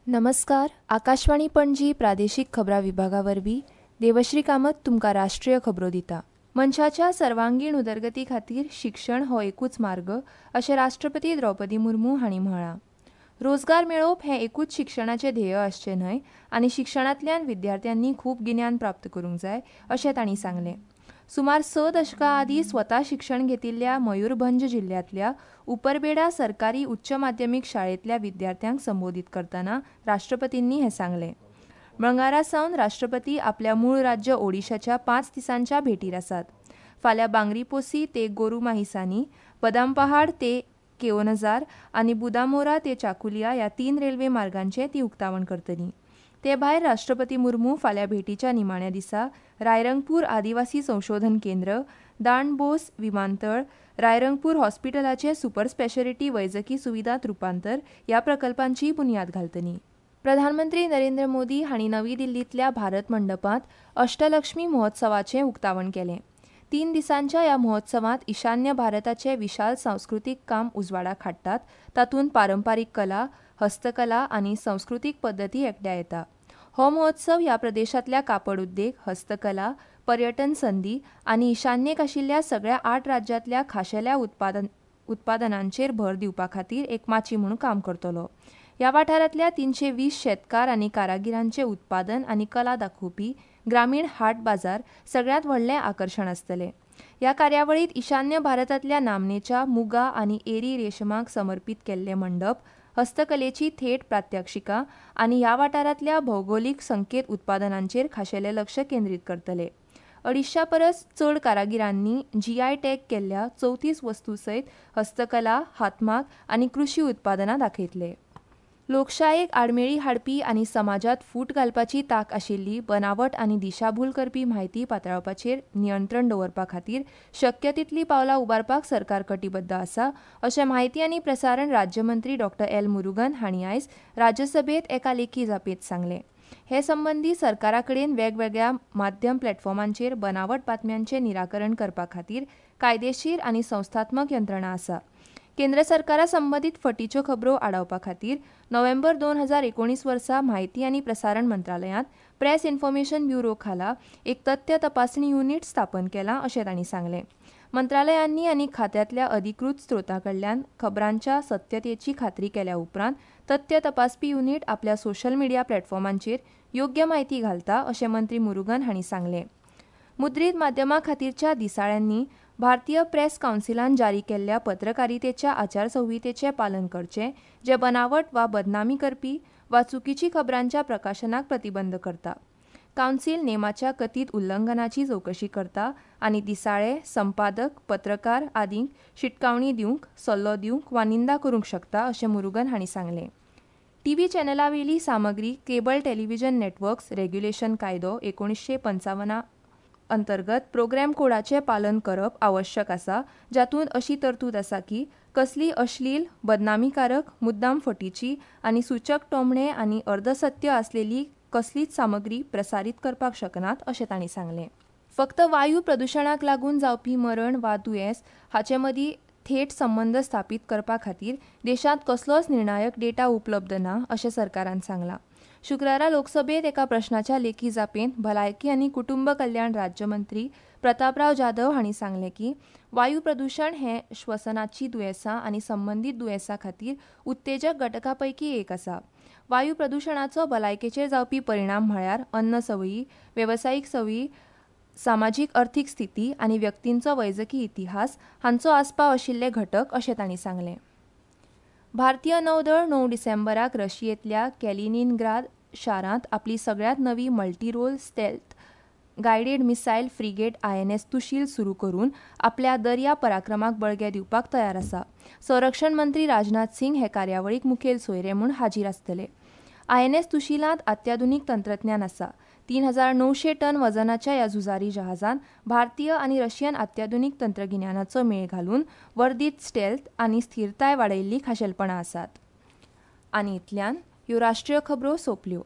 नमस्कार, आकाशवाणी पणजी प्रादेशीक खबरां विभागा वरवीं देवश्री कामत तुमकां राष्ट्रीय खबरो दिता. मनशाच्या सर्वांगीण उदरगती खातीर शिक्षण हो एकूच मार्ग अशें राष्ट्रपती द्रौपदी मुर्मू हांणी म्हळां. रोजगार मेळोवप हें एकूच शिक्षणाचें ध्येय आसचें न्हय आनी शिक्षणांतल्यान विद्यार्थ्यांनी खूब गिन्यान प्राप्त करूंक जाय अशें तांणी सांगलें. सुमार स दशकां आदीं स्वता शिक्षण घेतिल्ल्या मयूरभंज जिल्ह्यांतल्या उपरबेडा सरकारी उच्च माध्यमीक शाळेंतल्या विद्यार्थ्यांक संबोदीत करतना राष्ट्रपतींनी हें सांगलें. मंगळारा सावन राष्ट्रपती आपल्या मूळ राज्य ओडिशाच्या पांच दिसांच्या भेटीर आसात. फाल्यां बांगरीपोसी ते गोरुमाहिसानी, बदामपहाड ते केओनजार आनी बुदामोरा ते चाकुलिया ह्या तीन रेल्वे मार्गांचें ती उक्तावण करतली. ते भायर राष्ट्रपती मुर्मू फाल्यां भेटीच्या निमाण्या दिसा रायरंगपूर आदिवासी संशोधन केंद्र, दांडबोस विमानतळ, रायरंगपूर हॉस्पिटलाचें सुपर स्पेशरिटी वैजकी सुविधांत रुपांतर ह्या प्रकल्पांचीय बुन्याद घालतली. प्रधानमंत्री नरेंद्र मोदी हांणी नवी दिल्लींतल्या भारत मंडपांत अष्टलक्ष्मी महोत्सवाचें उक्तावण केलें. तीन दिसांच्या ह्या महोत्सवांत ईशान्य भारताचें विशाल सांस्कृतीक काम उजवाडाक हाडटात, तातूंत पारंपारीक कला, हस्तकला आनी संस्कृतीक पद्दती एकठांय येता. हो महोत्सव ह्या प्रदेशांतल्या कापड उद्देग, हस्तकला, पर्यटन संदी आनी ईशान्येक आशिल्ल्या सगळ्या आठ राज्यांतल्या खाशेल्या उत्पादनांचेर भर दिवपा खातीर एक माची म्हूण काम करतलो. ह्या वाठारांतल्या 320 शेतकार आनी कारागिरांचें उत्पादन आनी कला दाखोवपी ग्रामीण हाट बाजार सगळ्यांत व्हडलें आकर्शण आसतलें. ह्या कार्यावळींत ईशान्य भारतांतल्या नामनेच्या मुगा आनी एरी रेशमाक समर्पीत केल्ले मंडप, हस्तकलेची थेट प्रात्यक्षिकां आनी ह्या वाठारांतल्या भौगोलीक संकेत उत्पादनांचेर खाशेलें लक्ष केंद्रीत करतले. अडीचश्यां परस चड कारागिरांनी जीआय टॅग केल्ल्या 34 वस्तू सयत हस्तकला, हातमाग आनी कृशी उत्पादनां दाखयतले. लोकशायेक आडमेळी हाडपी आनी समाजांत फूट घालपाची तांक आशिल्ली बनावट आनी दिशाभूल करपी म्हायती पातळावपाचेर नियंत्रण दवरपा खातीर शक्य तितलीं पावलां उबारपाक सरकार कटिबद्ध आसा अशें म्हायती आनी प्रसारण राज्यमंत्री डॉक्टर एल मुरुगन हांणी आयज राज्यसभेंत एका लेखी जापेंत सांगलें. हे संबंदी सरकारा कडेन वेगवेगळ्या माध्यम प्लॅटफॉर्मांचेर बनावट बातम्यांचें निराकरण करपा खातीर कायदेशीर आनी संस्थात्मक यंत्रणा आसा. केंद्र सरकारा संबंदीत फटीच्यो खबरो आडावपा खातीर नोव्हेंबर 2019 वर्सा म्हायती आनी प्रसारण मंत्रालयांत प्रेस इन्फॉर्मेशन ब्युरो खाला एक तथ्य तपासणी युनीट स्थापन केलां अशें तांणी सांगलें. मंत्रालयांनी आनी खात्यांतल्या अधिकृत स्रोतां कडल्यान खबरांच्या सत्यतेची खात्री केल्या उपरांत तथ्य तपासपी युनीट आपल्या सोशल मिडिया प्लॅटफॉर्मांचेर योग्य म्हायती घालता अशें मंत्री मुरुगन हांणी सांगलें. मुद्रीत माध्यमां खातीरच्या दिसाळ्यांनी भारतीय प्रेस कावन्सिलान जारी केल्ल्या पत्रकारितेच्या आचारसंहितेचें पालन करचें, जें बनावट वा बदनामी करपी वा चुकीची खबरांच्या प्रकाशनाक प्रतिबंध करता. कावन्सिल नेमाच्या कथीत उल्लंघनाची चवकशी करता आनी दिसाळे, संपादक, पत्रकार आदींक शिटकावणी दिवंक, सल्लो दिवंक वा निंदा करूंक शकता अशें मुरुगन हांणी सांगलें. टीव्ही चॅनलावेली सामग्री केबल टेलिव्हिजन नेटवर्क्स रेग्युलेशन कायदो 1955 अंतर्गत प्रोग्राम कोडाचें पालन करप आवश्यक आसा, जातूंत अशी तरतूद आसा की कसलीय अश्लील, बदनामीकारक, मुद्दाम फटीची आनी सूचक टोमणे आनी अर्धसत्य आसलेली कसलीच सामग्री प्रसारीत करपाक शकनात अशें तांणी सांगलें. फक्त वायू प्रदुशणाक लागून जावपी मरण वा दुयेंस हाचे मदीं थेट संबंद स्थापीत करपा खातीर देशांत कसलोच निर्णायक डेटा उपलब्ध ना अशें सरकारान सांगलां. शुक्रारा लोकसभेंत एका प्रश्नाच्या लेखी जापेंत भलायकी आनी कुटुंब कल्याण राज्यमंत्री प्रतापराव जाधव हांणी सांगलें की वायू प्रदुशण हें श्वसनाची दुयेंसां आनी संबंदीत दुयेंसां खातीर उत्तेजक घटकां पैकी एक आसा. वायू प्रदुशणाचो भलायकेचेर जावपी परिणाम म्हळ्यार अन्न संवयी, वेवसायीक संवयी, सामाजीक अर्थीक स्थिती आनी व्यक्तींचो वैजकी इतिहास हांचो आस्पाव आशिल्ले घटक अशें तांणी सांगलें. भारतीय नौदळ 9 डिसेंबराक रशियेंतल्या कॅलिनिनग्राद शारांत आपली सगळ्यांत नवी multirole stealth guided missile frigate INS Tushil सुरू करून आपल्या दर्या पराक्रमाक बळगें दिवपाक तयार आसा. संरक्षण मंत्री राजनाथ सिंग हे कार्यावळीक मुखेल सोयरे म्हूण हाजीर आसतले. आयएनएस तुशीलांत अत्याधुनीक तंत्रज्ञान आसा. 3900 टन वजनाच्या ह्या झुजारी जहाजान भारतीय आनी रशियन अत्याधुनीक तंत्रगिन्यानाचो मेळ घालून वर्धीत स्टेल्थ आनी स्थिरताय वाडयिल्ली खाशेलपणां आसात. आनी इतल्यान ह्यो राष्ट्रीय खबरो सोंपल्यो.